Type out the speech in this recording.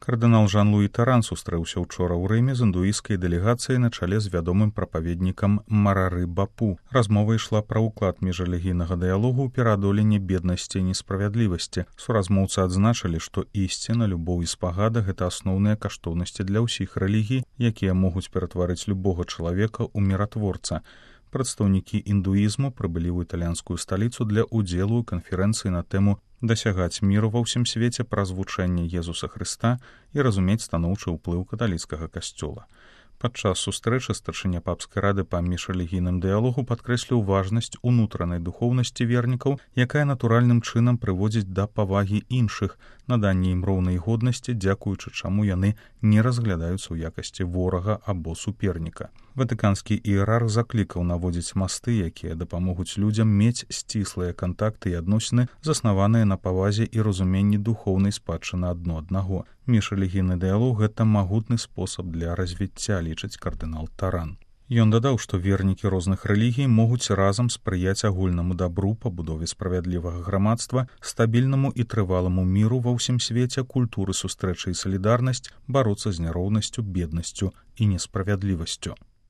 Кардынал Жан-Луі Таран сустрэўся учора ў Рыме з індуісцкай дэлегацыяй на чале з вядомым прапаведнікам Марары Бапу. Размова ішла пра ўклад міжрэлігійнага дыялогу ў пераадоленне беднасці і несправядлівасці. Суразмоўцы адзначылі, што ісціна, любоў і спагада — гэта асноўныя каштоўнасці для ўсіх рэлігій, якія могуць ператварыць любога чалавека ў міратворца. Прадстаўнікі індуізму прыбылі ў італьянскую сталіцу для ўдзелу ў канферэнцыі на тэму «Дасягаць міру ва ўсім свеце праз вучэнне Езуса Хрыста і разумець станоўчы ўплыў каталіцкага касцёла». Падчас сустрэчы старшыня папскай рады па міжрэлігійным дыялогу падкрэсліў важнасць унутранай духоўнасці вернікаў, якая натуральным чынам прыводзіць да павагі іншых, наданне ім роўнай годнасці, дзякуючы чаму яны не разглядаюцца ў якасці ворага або суперніка. Ватыканскі іерарх заклікаў наводзіць масты, якія дапамогуць людзям мець сціслыя кантакты і адносіны, заснаваныя на павазе і разуменні духоўнай спадчыны адно аднаго. Міжрэлігійны дыялог — гэта магутны спосаб для развіцця, лічыць кардынал Таран. Ён дадаў, што вернікі розных рэлігій могуць разам спрыяць агульнаму дабру, пабудове справядлівага грамадства, стабільнаму і трываламу міру ва ўсім свеце, культуры сустрэчы і салідарнасць, бароцца з няроўнасцю, беднасцю і несправядлівасцю.